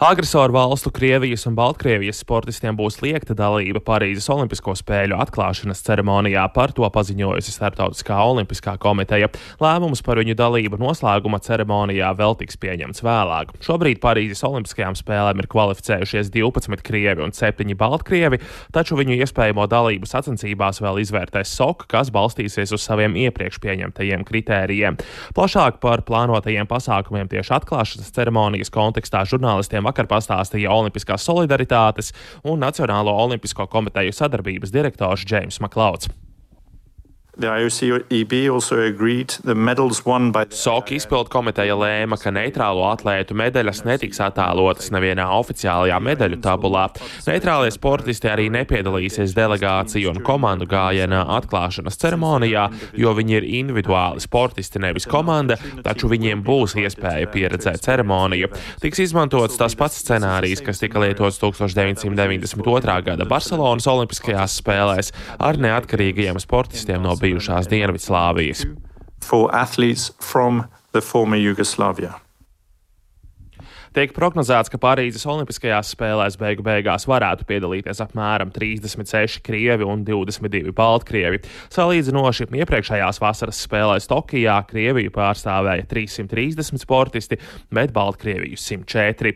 Agresoru valstu Krievijas un Baltkrievijas sportistiem būs liegta dalība Parīzes Olimpisko spēļu atklāšanas ceremonijā, par to paziņojusi Starptautiskā olimpiskā komiteja. Lēmums par viņu dalību noslēguma ceremonijā vēl tiks pieņemts vēlāk. Šobrīd Parīzes Olimpiskajām spēlēm ir kvalificējušies 12 krievi un 7 baltkrievi, taču viņu iespējamo dalību sacensībās vēl izvērtēs SOK, kas balstīsies uz saviem iepriekš pieņemtajiem kritērijiem. Plašāk par plānotajiem pasākumiem tieši atklāšanas ceremonijas kontekstā žurnālistiem vakar pastāstīja Olimpiskās solidaritātes un Nacionālo olimpisko komiteju sadarbības direktors Džeims Maklauds. SOK izpildu komiteja lēma, ka neitrālo atlētu medaļas netiks attēlotas nevienā oficiālajā medaļu tabulā. Neitrālie sportisti arī nepiedalīsies delegāciju un komandu gājienā atklāšanas ceremonijā, jo viņi ir individuāli sportisti, nevis komanda, taču viņiem būs iespēja pieredzēt ceremoniju. Tiks izmantots tas pats scenārijs, kas tika lietots 1992. Gada Barcelonas olimpiskajās spēlēs ar neatkarīgajiem sportistiem no bijušās Dienvidslāvijas. Tiek prognozēts, ka Parīzes Olimpiskajās spēlēs beigu beigās varētu piedalīties apmēram 36 krievi un 22 baltkrievi. Salīdzinoši iepriekšējās vasaras spēlēs Tokijā Krieviju pārstāvēja 330 sportisti, bet Baltkrieviju 104.